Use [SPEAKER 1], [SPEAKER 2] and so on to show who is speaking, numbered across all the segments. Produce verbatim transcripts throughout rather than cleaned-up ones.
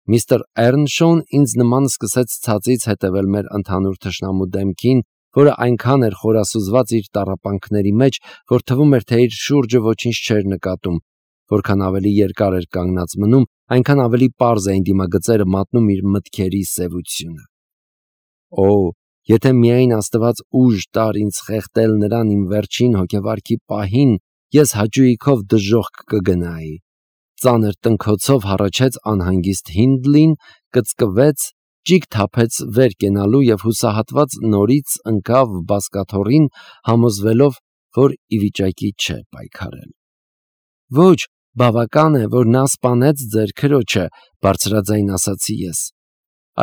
[SPEAKER 1] Միստր Էռնշոուն ինձ նման սկսեց ցածից հետևել մեր ընդհանուր թշնամու դեմքին, որը այնքան էր խորասուզված իր տառապանքների մեջ, որ թվում էր, թե իր շուրջը ոչինչ չէր նկատում, որքան ավելի երկար էր կանգնած մնում, այնքան ավելի պարզ էին դիմագծերը մատնում իր մտքերի սևությունը։ Օ, եթե միայն Աստված ուժ տար ինձ խեղդել նրան իմ վերջին հոգեվարքի պահին, ես հաճույքով դժոխք կգնայի։ Ծանր տնքոցով հառաչեց անհանգիստ Հինդլին, կծկվեց, ճիգ թափեց վեր կենալու և հուսահատված նորից ընկավ բազկաթոռին, համոզվելով, որ ի վիճակի չէ պայքարել։ Ոչ, բավական է, որ նա սպանեց ձեր քրոջը, բարձրաձայն ասացի ես։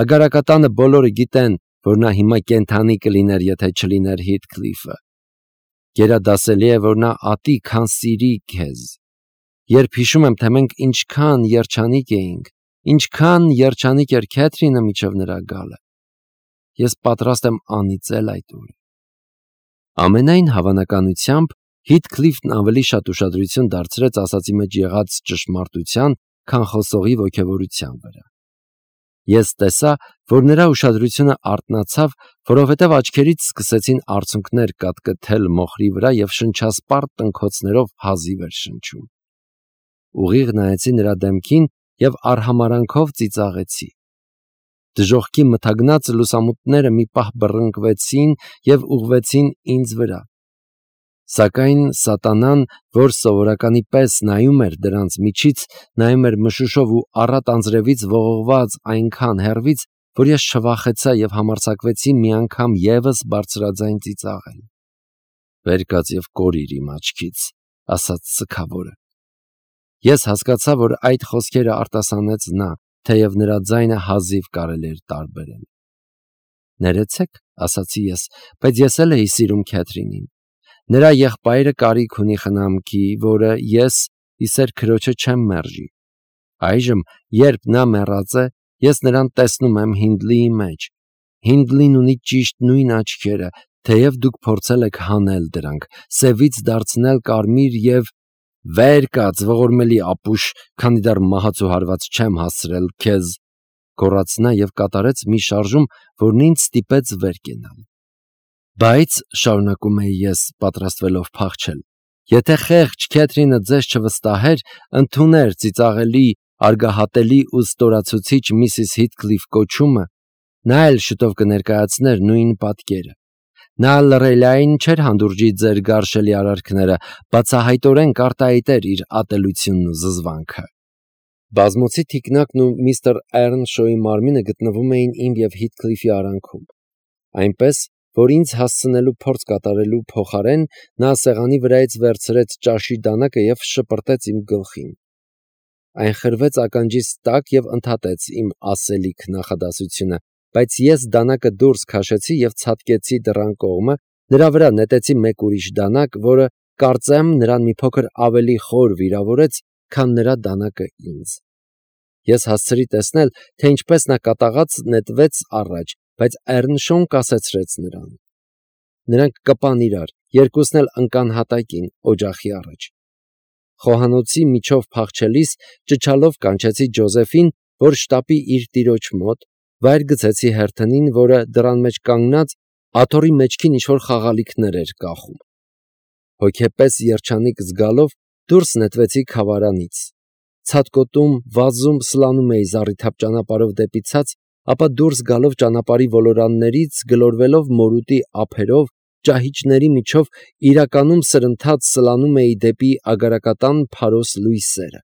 [SPEAKER 1] Ագարակատանը բոլորը գիտեն, որ նա հիմա կենդանի կլիներ, եթե չլիներ Հիթքլիֆը։ Գերադասելի է, որ նա ատի, քան սիրի քեզ։ Երբ հիշում եմ, թե մենք ինչքան երջանիկ էինք, ինչքան երջանիկ էր Քեթրինը մինչև նրա գալը, ես պատրաստ եմ անիծել այդ օրը։ Ամենայն հավանականությամբ Հիթքլիֆն ավելի շատ ուշադրություն դարձրեց ասածի մեջ եղած ճշմարտության, քան խոսողի ոգևորության վրա։ Ես տեսա, որ նրա ուշադրությունը արթնացավ, որովհետև աչքերից սկսեցին արցունքներ կատկթել մոխրի վրա և շնչասպառ տնքոցներով հազիվ էր շնչում։ Ուղիղ նայեցի նրա դեմքին և արհամարանքով ծիծաղեցի։ Դժոխքի մթագնած լուսամուտները մի պահ բռնկվեցին և ուղղվեցին ինձ վրա։ Սակայն սատանան, որ սովորականի պես նայում էր դրանց միջից, նայում էր մշուշով ու առատ անձրևից ողողված այնքան հեռվից, որ ես չվախեցա և համարձակվեցի մի անգամ ևս բարձրաձայն ծիծաղել։ «Վեր կաց և կորիր իմ աչքից», ասաց սգավորը։ Ես հասկացա, որ այդ խոսքերը արտասանեց նա, թեև նրա ձայնը հազիվ կարելի էր տարբերել։ «Ներեցեք», ասացի ես, բայց ես էլ էի սիրում Քեթրինին։ Նրա եղբայրը կարիք ունի խնամքի, որը ես իսեր քրոջը չեմ մերժի։ Այժմ, երբ նա մեռած է, ես նրան տեսնում եմ Հինդլիի մեջ։ Հինդլին ունի ճիշտ նույն աչքերը, թեև դուք փորձել եք հանել դրանք, սևից դարձնել կարմիր և… «Վեր կաց, ողորմելի ապուշ, քանի դեռ մահացու հարված չեմ հասցրել քեզ», գոռաց նա և կատարեց մի շարժում, որն ինձ ստիպեց վեր կենալ։ Բայց, շարունակում էի ես, պատրաստվելով փախչել, եթե խեղճ Քեթրինը ձեզ չվստահեր, ընդուներ ծիծաղելի, արգահատելի ու ստորացուցիչ միսիս Հիթքլիֆ կոչումը, նա էլ շուտով կներկայացներ նույն պատկերը։ Նա լռելիային չէր հանդուրժի ձեր գարշելի արարքները, բացահայտորեն կարտահայտեր իր ատելությունն ու զզվանքը։ Բազմոցի թիկնակն ու միստր Էռնշոուի մարմինը գտնվում էին իմ և Հիթքլիֆի արանքում։ Այնպես, որ ինձ հասցնելու փորձ կատարելու փոխարեն նա սեղանի վրայից վերցրեց ճաշի դանակը և շպրտեց իմ գլխին։ Այն խրվեց ականջիս տակ և ընդհատեց իմ ասելիք նախադասությունը, բայց ես դանակը դուրս քաշեցի և ցատկեցի դռան կողմը, նրա վրա նետեցի մեկ ուրիշ դանակ, որը, կարծեմ, նրան մի փոքր ավելի խոր վիրավորեց, քան նրա դանակը ինձ։ Ես հասցրի տեսնել, թե ինչպես նա կատաղած նետվեց առաջ, բայց Էռնշոուն կասեցրեց նրան։ Նրանք կպան իրար, երկուսն էլ ընկան հատակին, օջախի առաջ։ Խոհանոցի միջով փախչելիս ճչալով կանչեցի Ջոզեֆին, որ շտապի իր տիրոջ մոտ, վայր գցեցի հերթնին, որը դռան մեջ կանգնած աթոռի մեջքին ինչ-որ խաղալիքներ էր կախում։ Հոգեպես երջանիկ զգալով դուրս նետվեցի քավարանից։ Ցատկոտում, վազում, սլանում էի զառիթափ ճանապարհով դեպի ցած, ապա դուրս գալով ճանապարհի ոլորաններից, գլորվելով մորուտի ափերով, ճահիճների միջով, իրականում սրընթաց սլանում էի դեպի ագարակատան փարոս լույսերը։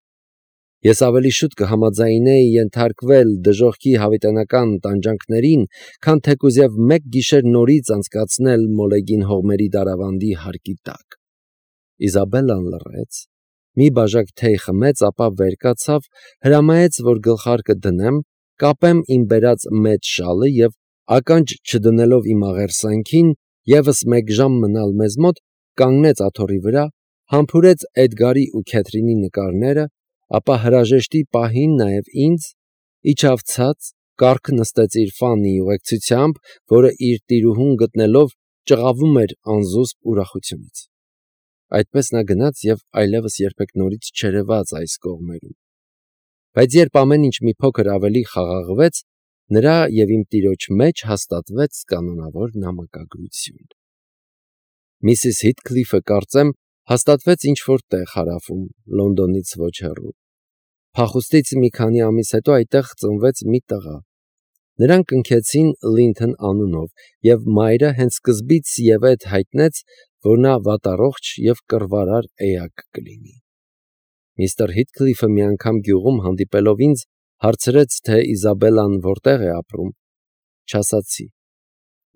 [SPEAKER 1] Ես ավելի շուտ կհամաձայնեի ենթարկվել դժոխքի հավիտենական տանջանքներին, քան թեկուզև մեկ գիշեր նորից անցկացնել Մոլեգին հողմերի դարավանդի հարկի տակ։ Իզաբելլան լռեց, մի բաժակ թեյ խմեց, ապա վեր կացավ, հրամայեց, որ գլխարկը դնեմ, կապեմ իմ բերած մեծ շալը և, ականջ չդնելով իմ աղերսանքին, ևս մեկ ժամ մնալ մեզ մոտ, կանգնեց աթոռի վրա, համբուրեց Էդգարի ու Քեթրինի նկարները, ապա հրաժեշտի պահին նաև ինձ, իջավ ցած, կառք նստեց իր Ֆաննիի ուղեկցությամբ, որը իր տիրուհուն գտնելով ճղավում էր անզուսպ ուրախությունից։ Այդպես նա գնաց և այլևս երբեք նորից չերևաց այս կողմերում։ Բայց երբ ամեն ինչ մի փոքր ավելի խաղաղվեց, նրա և իմ տիրոջ մեջ հաստատվեց կանոնավոր նամակագրություն։ Միսիս Հիթքլիֆը, կարծեմ, հաստատվեց ինչ-որ տեղ հարավում, Լոնդոնից ոչ հեռու։ Փախուստից մի քանի ամիս հետո այդտեղ ծնվեց մի տղա։ Նրան կնքեցին Լինթոն անունով, և մայրը հենց սկզբից ևեթ հայտնեց, որ նա վատառողջ և կռվարար էակ կլինի։ Միստր Հիթքլիֆը մի անգամ գյուղում հանդիպելով ինձ, հարցրեց, թե Իզաբելլան որտեղ է ապրում։ Չասացի։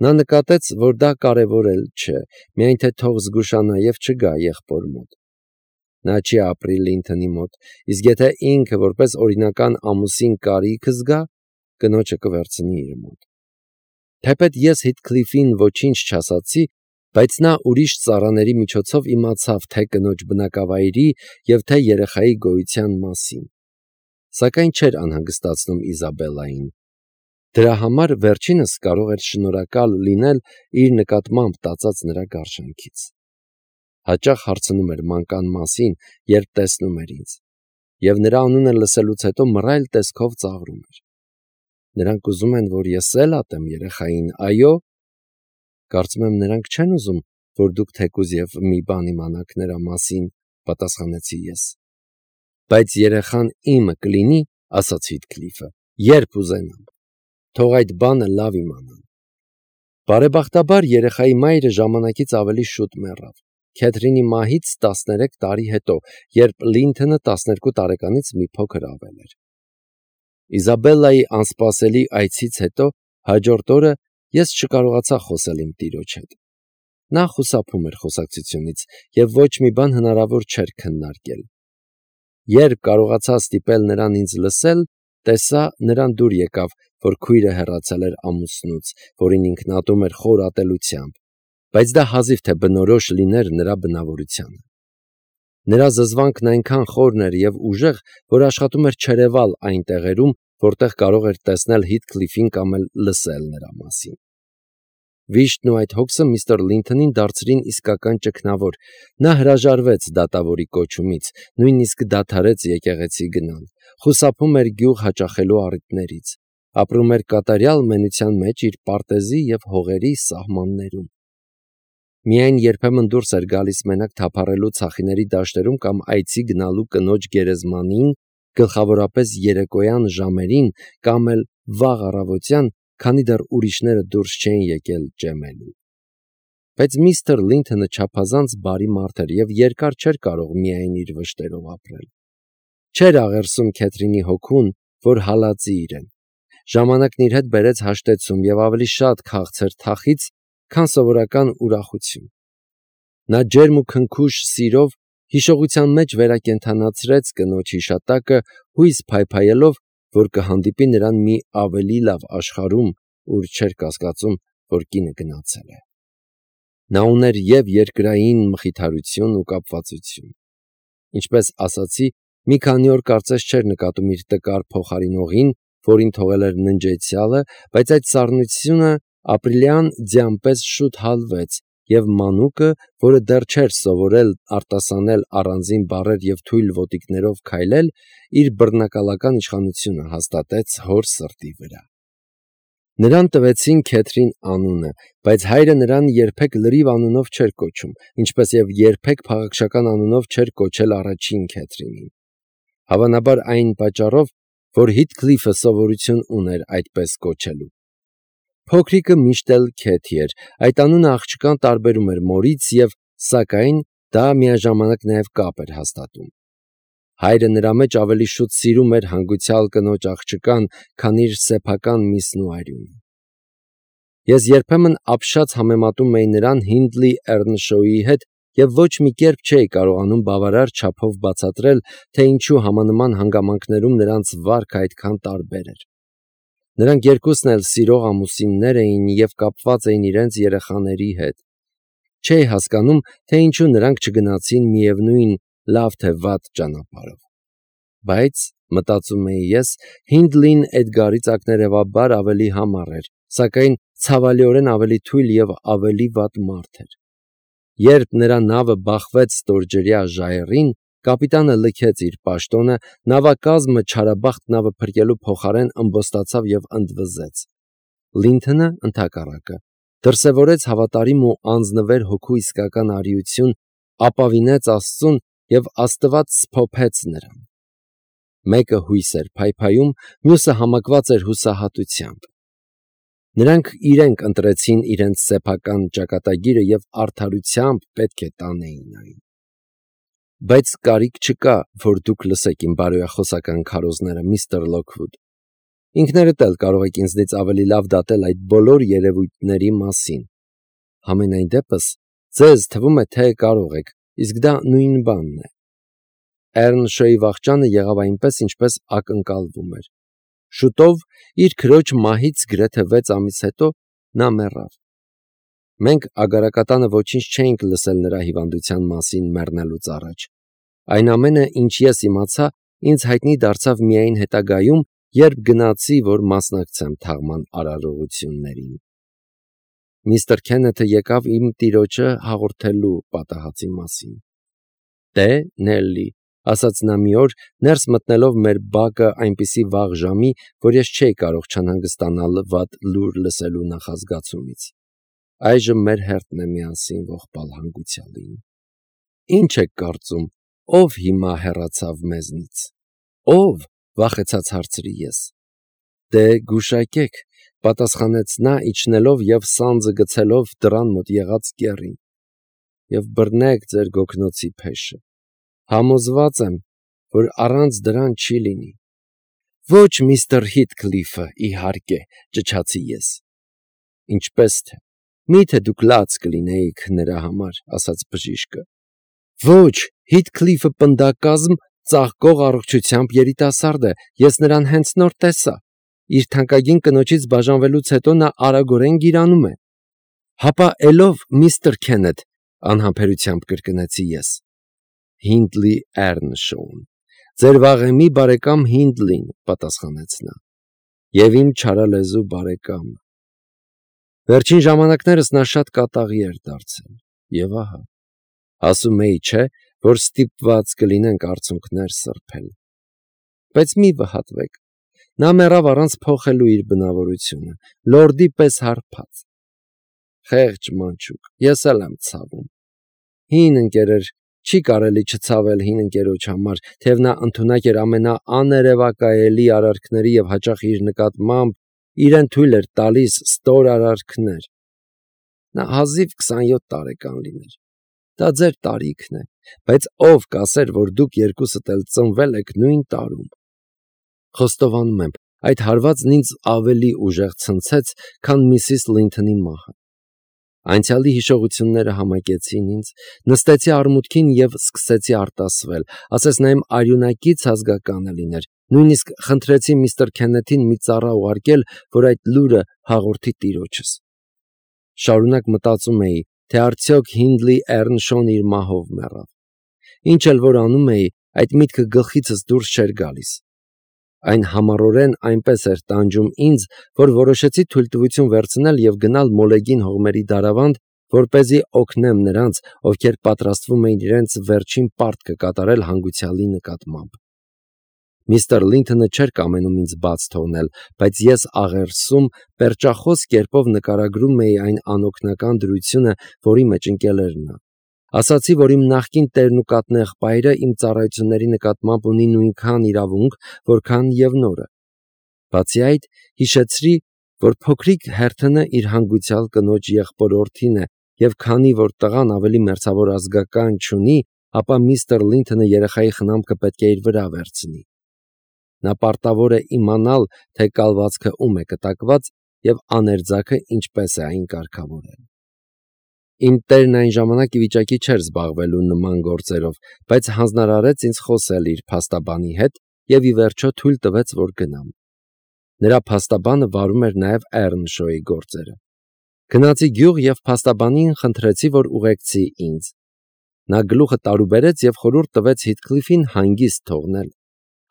[SPEAKER 1] Նա նկատեց, որ դա կարևոր էլ չէ, միայն թե թող զգուշանա և չգա եղբոր մոտ։ Նա չի ապրի Լինթոնի մոտ, իսկ եթե ինքը որպես օրինական ամուսին կարիքը զգա, կնոջը կվերցնի իր մոտ։ Թեպետ ես Հիթքլիֆին ոչինչ չասացի, բայց նա ուրիշ ծառաների միջոցով իմացավ թե կնոջ բնակավայրի և թե երեխայի գոյության մասին, սակայն չէր անհանգստացնում Իզաբելլային։ Դրա համար վերջինս կարող էր շնորհակալ լինել իր նկատմամբ տածած նրա գարշանքից։ Հաճախ հարցնում էր մանկան մասին, երբ տեսնում էր ինձ, և նրա անունը լսելուց հետո մռայլ տեսքով ծաղրում էր։ Նրանք ուզում են, որ ես էլ ատեմ երեխային, այո։ Կարծում եմ, նրանք չեն ուզում, որ դուք թեկուզ և մի բան իմանաք նրա մասին, պատասխանեցի ես։ Բայց երեխան իմը կլինի, ասաց Հիթքլիֆը, երբ ուզենամ։ Թող այդ բանը լավ իմանան։ Բարեբախտաբար երեխայի մայրը ժամանակից ավելի շուտ մեռավ, Քեթրինի մահից տասներեք տարի հետո, երբ Լինթոնը տասներկու տարեկանից մի փոքր ավել էր։ Իզաբելլայի անսպասելի այցից հետո հաջորդ օրը ես չկարողացա խոսել իմ տիրոջ հետ։ Նա խուսափում էր խոսակցությունից և ոչ մի բան հնարավոր չէր քննարկել։ Երբ կարողացա ստիպել նրան ինձ լսել, տեսա, նրան դուր եկավ, որ քույրը հեռացել էր ամուսնուց, որին ինքն ատում էր խոր ատելությամբ, բայց դա հազիվ թե բնորոշ լիներ նրա բնավորությանը։ Նրա զզվանքն այնքան խորն էր և ուժեղ, որ աշխատում էր չերևալ այն տեղերում, որտեղ կարող էր տեսնել Հիթքլիֆին կամ էլ լսել նրա մասին։ Վիշտն ու այդ հոգսը միստր Լինթոնին դարձրին իսկական ճգնավոր։ Նա հրաժարվեց դատավորի կոչումից, նույնիսկ դադարեց եկեղեցի գնալ, խուսափում էր գյուղ հաճախելու առիթներից, ապրում էր կատարյալ մենության մեջ իր պարտեզի և հողերի սահմաններում։ Միայն երբեմն դուրս էր գալիս մենակ թափառելու ցախիների դաշտերում կամ այցի գնալու կնոջ գերեզմանին, գլխավորապես երեկոյան ժամերին կամ էլ վաղ առավոտյան, քանի դեռ ուրիշները դուրս չէին եկել ջեմելու։ Բայց միստր Լինթոնը չափազանց բարի մարդ էր և երկար չէր կարող միայն իր վշտերով ապրել։ Չէր աղերսում Քեթրինի հոգուն, որ հալածի իրեն։ Ժամանակն իր հետ բերեց հաշտեցում և ավելի շատ քաղցր թախիծ, քան սովորական ուրախություն։ Նա ջերմ ու քնքուշ սիրով հիշողության մեջ վերակենդանացրեց կնոջ հիշատակը, հույս փայփայելով, որ կհանդիպի նրան մի ավելի լավ աշխարհում, ուր չէր կասկածում, որ կինը գնացել է։ Նա ուներ և երկրային մխիթարություն ու կապվածություն։ Ինչպես ասացի, մի քանի օր կարծես չէր նկատում իր տկար փոխարինողին, որին թողել էր ննջեցյալը, բայց այդ սառնությունը ապրիլյան ձյան պես շուտ հալվեց, և մանուկը, որը դեռ չէր սովորել արտասանել առանձին բառեր և թույլ ոտիկներով քայլել, իր բռնակալական իշխանությունը հաստատեց հոր սրտի վրա։ Նրան տվեցին Քեթրին անունը, բայց հայրը նրան երբեք լրիվ անունով չէր կոչում, ինչպես և երբեք փաղաքշական անունով չէր կոչել առաջին Քեթրինին։ Հավանաբար այն պատճառով, որ Հիթքլիֆը սովորություն ուներ այդպես կոչելու։ Փոքրիկը միշտ էլ Քեթի էր, այդ անունը աղջկան տարբերում էր մորից և, սակայն, դա միաժամանակ նաև կապ էր հաստատում։ Հայրը նրա մեջ ավելի շուտ սիրում էր հանգուցյալ կնոջ աղջկան, քան իր սեփական միսն ու արյունը։ Ես երբեմն ապշած համեմատում էի նրան Հինդլի Էռնշոուի հետ և ոչ մի կերպ չէի կարողանում բավարար չափով բացատրել, թե ինչու համանման հանգամանքներում նրանց վարքը այդքան տարբեր էր։ Նրանք երկուսն էլ սիրող ամուսիններ էին և կապված էին իրենց երեխաների հետ։ Չէի հասկանում, թե ինչու նրանք չգնացին միևնույն լավ թե վատ ճանապարհով։ Բայց, մտածում էի ես, Հինդլին Էդգարից ակներևաբար ավելի համառ էր, սակայն ցավալիորեն ավելի թույլ և ավելի վատ մարդ էր։ Երբ նրա նավը բախվեց ստորջրյա ժայռին, Կապիտանը լքեց իր պաշտոնը, նավակազմը չարաբախտ նավը փրկելու փոխարեն ըմբոստացավ եւ ընդվզեց։ Լինթոնը ընդհակառակը դրսևորեց հավատարիմ ու անձնվեր հոգու իսկական արիություն, ապավինեց Աստծուն եւ Աստված սփոփեց նրան։ Մեկը հույս էր փայփայում, մյուսը համակված էր հուսահատությամբ։ Նրանք իրենք ընտրեցին իրենց սեփական ճակատագիրը եւ արդարությամբ պետք է տանեին այն։ Բայց կարիք չկա, որ դուք լսեք իմ բարոյախոսական քարոզները, միստր Լոքվուդ։ Ինքներդ էլ կարող եք ինձնից ավելի լավ դատել այդ բոլոր երևույթների մասին։ Համենայն դեպս, ձեզ թվում է, թե կարող եք, իսկ դա նույն բանն է։ Էռնշոյի վախճանը եղավ այնպես, ինչպես ակնկալվում էր։ Շուտով, իր քրոջ մահից գրեթե վեց ամիս հետո, նա մեռավ։ Մենք ագարակատանը ոչինչ չէինք լսել նրա հիվանդության մասին մեռնելուց առաջ։ Այն ամենը, ինչ ես իմացա, ինձ հայտնի դարձավ միայն հետագայում, երբ գնացի, որ մասնակցեմ թաղման արարողություններին։ Միստր Քենեթը եկավ իմ տիրոջը հաղորդելու պատահածի մասին։ Դե, Նելլի, ասաց նա մի օր, ներս մտնելով մեր բակը այնպիսի վաղ ժամի, որ ես չէի կարող չանհանգստանալ վատ լուր լսելու նախազգացումից։ Այժմ մեր հերթն է միասին ողբալ հանգուցյալին։ Ինչ եք կարծում, ով հիմա հեռացավ մեզնից։ Ով, վախեցած հարցրի ես։ Դե գուշակեք, պատասխանեց նա, իջնելով եւ սանձը գցելով դռան մոտ եղած կեռին։ Եվ բռնեք ձեր գոգնոցի փեշը։ Համոզված եմ, որ առանց դրան չի լինի։ Ոչ միստր Հիթքլիֆը, իհարկե, ճչացի ես։ Ինչպես թե։ Միթե դուք լաց կլինեիք նրա համար, ասաց բժիշկը։ Ոչ, Հիթքլիֆը պնդակազմ ծաղկող առողջությամբ երիտասարդ է, ես նրան հենց նոր տեսա։ Իր թանկագին կնոջից բաժանվելուց հետո նա արագորեն գիրանում է։ Հապա էլով միստր Քենեթ, անհամբերությամբ կրկնեցի ես։ Հինդլի Էռնշոուն, ձեր վաղեմի բարեկամ Հինդլին, պատասխանեց նա։ Եվ իմ չարալեզու բարեկամը։ Վերջին ժամանակներս նա շատ կատաղի էր դարձել, եւ ահա, ասում էի, չէ, որ ստիպված կլինենք արցունքներ սրբել։ Բայց մի վհատվեք, նա մեռավ առանց փոխելու իր բնավորությունը, լորդի պես հարբած։ Խեղճ մանչուկ, ես էլ եմ ցավում։ Հին ընկերեր, չի կարելի չցավել հին ընկերոջ համար, թեև նա ընդունակ էր ամենաաներևակայելի արարքների եւ հաճախ իր նկատմամբ իրեն թույլ էր տալիս ստոր արարքներ։ Նա հազիվ քսանյոթ տարեկան լիներ։ Դա ձեր տարիքն է, բայց ով կասեր, որ դուք երկուսդ էլ ծնվել եք նույն տարում։ Խոստովանում եմ, այդ հարվածն ինձ ավելի ուժեղ ցնցեց, քան միսիս Լինթոնի մահը։ Անցյալի հիշողությունները համակեցին ինձ, նստեցի արմունկին եւ սկսեցի արտասվել, ասես նա իմ արյունակից ազգականը լիներ, նույնիսկ խնդրեցի միստր Քենեթին մի ծառա ուղարկել, որ այդ լուրը հաղորդի տիրոջս։ Շարունակ մտածում էի, թե արդյոք Հինդլի Էռնշոուն իր մահով մեռավ։ Ինչ էլ որ անում էի, այդ միտքը գլխիցս դուրս չէր գալիս։ Այն համառորեն այնպես էր տանջում ինձ, որ որոշեցի թույլտվություն վերցնել եւ գնալ Մոլեգին հողմերի դարավանդ, որպեսզի օգնեմ նրանց, ովքեր պատրաստվում էին իրենց վերջին պարտքը կատարել հանգուցյալի նկատմամբ։ Միստր Լինթոնը չէր կամենում ինձ բաց թողնել, բայց ես աղերսում, պերճախոս կերպով նկարագրում էի այն անօգնական դրությունը, որի մեջ ընկել էր նա։ Ասացի, որ իմ նախկին տերն ու կաթնեղբայրը իմ ծառայությունների նկատմամբ ունի նույնքան իրավունք, որքան եւ նորը։ Բացի այդ, հիշեցրի, որ փոքրիկ հերթը իր հանգուցյալ կնոջ եղբորորդին է, եւ քանի որ տղան ավելի մերձավոր ազգական չունի, ապա միստր Լինթոնը երեխայի խնամքը պետք է իր վրա վերցնի։ Նա պարտավոր է իմանալ, թե կալվածքը ում է կտակված եւ աներձակը ինչպես է այն կարգավորել։ Իմ տերն այն ժամանակ ի վիճակի չէր զբաղվելու նման գործերով, բայց հանձնարարեց ինձ խոսել իր փաստաբանի հետ եւ ի վերջո թույլ տվեց, որ գնամ։ Նրա փաստաբանը վարում էր նաեւ Էռնշոյի գործերը։ Գնացի գյուղ եւ փաստաբանին խնդրեցի, որ ուղեկցի ինձ։ Նա գլուխը տարուբերեց եւ խորհուրդ տվեց Հիթքլիֆին հանգիստ թողնել։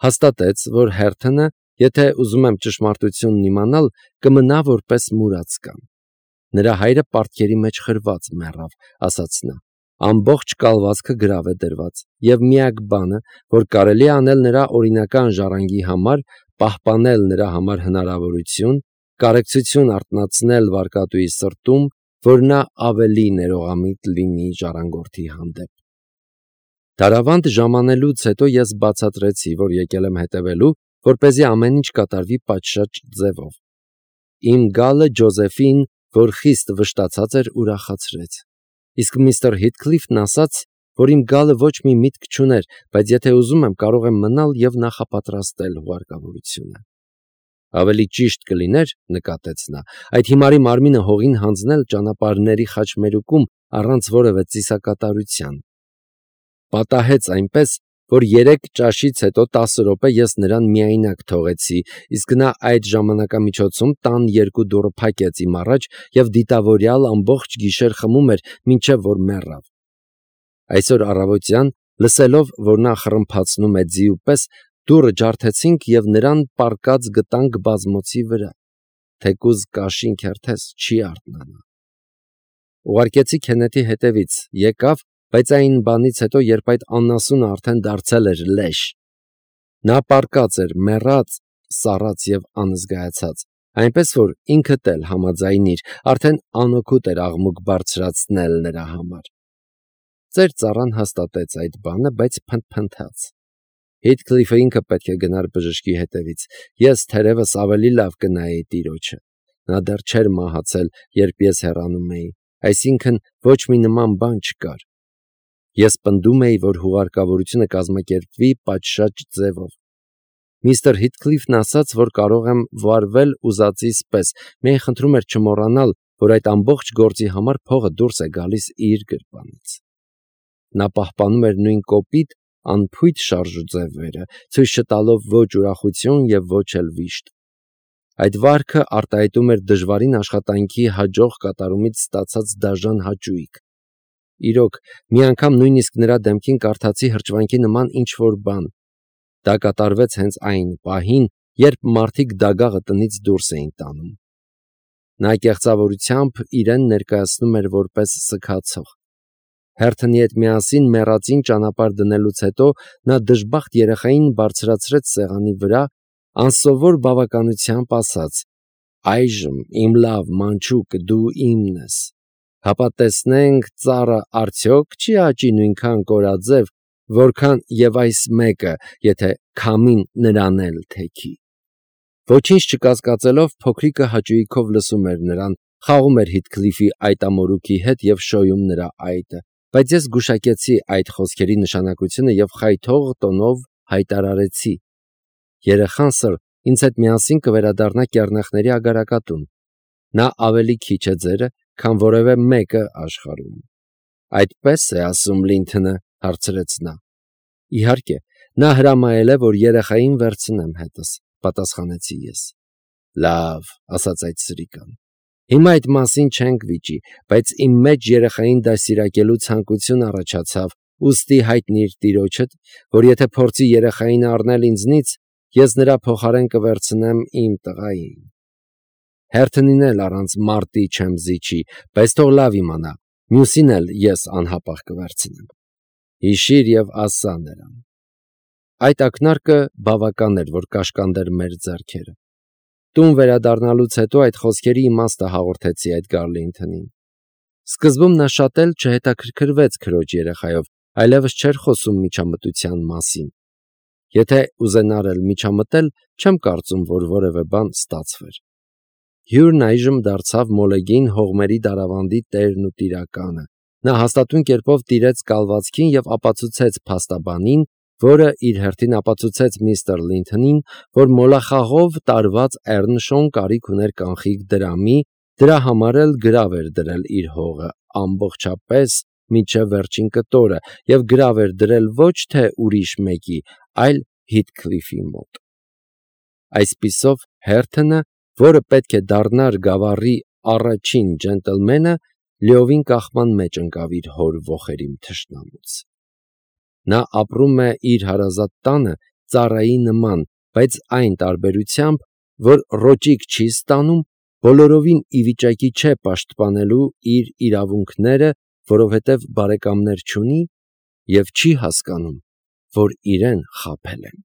[SPEAKER 1] Հաստատեց, որ հերթը, եթե ուզում եմ ճշմարտությունն իմանալ, կմնա որպես մուրացկան։ Նրա հայրը պարտքերի մեջ խրված մեռավ, ասաց նա։ Ամբողջ կալվածքը գրավ է դրված, և միակ բանը, որ կարելի է անել նրա օրինական ժառանգի համար, պահպանել նրա համար հնարավորություն, կարեկցություն արթնացնել վարկատուի սրտում, որ նա ավելի ներողամիտ լինի ժառանգորդի հանդեպ։ Դարավանդ ժամանելուց հետո ես բացատրեցի, որ եկել եմ հետևելու, որպեսզի ամեն ինչ կատարվի պատշաճ ձևով։ Իմ գալը Ջոզեֆին, որ խիստ վշտացած էր, ուրախացրեց։ Իսկ միստր Հիթքլիֆն ասաց, որ իմ գալը ոչ մի միտք չուներ, բայց եթե ուզում եմ, կարող եմ մնալ և նախապատրաստել հուղարկավորությունը։ Ավելի ճիշտ կլիներ, նկատեց նա, այդ հիմարի մարմինը հողին հանձնել ճանապարհների խաչմերուկում առանց որևէ ծիսակատարության։ Պատահեց այնպես, որ երեք ճաշից հետո տասը րոպե ես նրան միայնակ թողեցի, իսկ նա այդ ժամանակամիջոցում տան երկու դուռը փակեց իմ առաջ և դիտավորյալ ամբողջ գիշեր խմում էր, մինչև որ մեռավ։ Այսօր առավոտյան, լսելով, որ նա խռմփացնում է ձիու պես, դուռը ջարդեցինք և նրան պառկած գտանք բազմոցի վրա, թեկուզ կաշին քերթես չի արթնանա։ Ուղարկեցի Քեննեթի հետևից, եկավ, բայց այն բանից հետո, երբ այդ անասունը արդեն դարձել էր լեշ։ Նա պառկած էր, մեռած, սառած և անզգայացած, այնպես որ ինքդ էլ համաձայնիր, արդեն անօգուտ էր աղմուկ բարձրացնել նրա համար։ Ծեր ծառան հաստատեց այդ բանը, բայց փնթփնթաց։ Հիթքլիֆը ինքը պետք է գնար բժշկի հետևից, ես թերևս ավելի լավ կնայեի տիրոջը։ Նա դեռ չէր մահացել, երբ ես հեռանում էի, այսինքն ոչ մի նման բան չկար։ Ես պնդում էի, որ հուղարկավորությունը կազմակերպվի պատշաճ ձևով։ Միստր Հիթքլիֆն ասաց, որ կարող եմ վարվել ուզածիս պես, միայն խնդրում էր չմոռանալ, որ այդ ամբողջ գործի համար փողը դուրս է գալիս իր գրպանից։ Նա պահպանում էր նույն կոպիտ, անփույթ շարժուձևերը, ցույց չտալով ոչ ուրախություն և ոչ էլ վիշտ։ Այդ վարքը արտահայտում էր դժվարին աշխատանքի հաջող կատարումից ստացած դաժան հաճույք։ Իրոք, մի անգամ նույնիսկ նրա դեմքին կարդացի հրճվանքի նման ինչ-որ բան։ Դա կատարվեց հենց այն պահին, երբ մարդիկ դագաղը տնից դուրս էին տանում։ Նա կեղծավորությամբ իրեն ներկայացնում էր որպես սգացող։ Հերթոնի հետ միասին մեռածին ճանապարհ դնելուց հետո նա դժբախտ երեխային բարձրացրեց սեղանի վրա, անսովոր բավականությամբ ասաց. «Այժմ, իմ լավ մանչուկ, դու իմն ես, հապա տեսնենք ծառը արդյոք չի աճի նույնքան կորաձև, որքան և այս մեկը, եթե քամին նրան էլ թեքի»։ Ոչինչ չկասկածելով, փոքրիկը հաճույքով լսում էր նրան, խաղում էր Հիթքլիֆի այտամորուքի հետ և շոյում նրա այտը, բայց ես գուշակեցի այդ խոսքերի նշանակությունը և խայթող տոնով հայտարարեցի. երեխան սըր ինձ հետ միասին կվերադառնա կեռնեխների ագարակատուն։ Նա ավելի քիչ է ձերը, քան որևէ մեկը աշխարհում։ Այդպե՞ս է ասում Լինթոնը, հարցրեց նա։ Իհարկե, նա հրամայել է, որ երեխային վերցնեմ հետս, պատասխանեցի ես։ Լավ, ասաց այդ սրիկան։ Հիմա այդ մասին չենք վիճի, բայց իմ մեջ երեխային դաստիարակելու ցանկություն առաջացավ, ուստի հայտնիր տիրոջդ, որ եթե փորձի երեխային առնել ինձնից, ես նրա փոխարեն կվերցնեմ իմ տղային։ Հերթոնին էլ առանց մարտի չեմ զիջի, բայց թող լավ իմանա, մյուսին էլ ես անհապաղ կվերցնեմ։ Հիշիր և ասա նրան։ Այդ ակնարկը բավական էր, որ կաշկանդեր մեր ձեռքերը։ Տուն վերադառնալուց հետո այդ խոսքերի իմաստը հաղորդեցի Էդգար Լինթոնին։ Սկզբում նա շատ էլ չհետաքրքրվեց քրոջ երեխայով, այլևս չէր խոսում միջամտության մասին։ Եթե ուզենար էլ միջամտել, չեմ կարծում, որ որևէ բան ստացվեր։ Հյուրն այժմ դարձավ Մոլեգին հողմերի դարավանդի տերն ու տիրակալը։ Նա հաստատուն կերպով տիրեց կալվածքին և ապացուցեց փաստաբանին, որը իր հերթին ապացուցեց միստր Լինթոնին, որ մոլախաղով տարված Էռնշոուն կարիք ուներ կանխիկ դրամի, դրա համար էլ գրավ էր դրել իր հողը ամբողջապես մինչև վերջին կտորը և գրավ էր դրել ոչ թե ուրիշ մեկի, այլ Հիթքլիֆի մոտ։ Այսպիսով Հերթոնը, որը պետք է դառնար գավառի առաջին ջենտլմենը, լիովին կախման մեջ ընկավ իր հոր ոխերիմ թշնամուց։ Նա ապրում է իր հարազատ տանը ծառայի նման, բայց այն տարբերությամբ, որ ռոճիկ չի ստանում, բոլորովին ի վիճակի չէ պաշտպանելու իր իրավունքները որովհետև բարեկամներ չունի և չի հասկանում, որ իրեն խաբել են։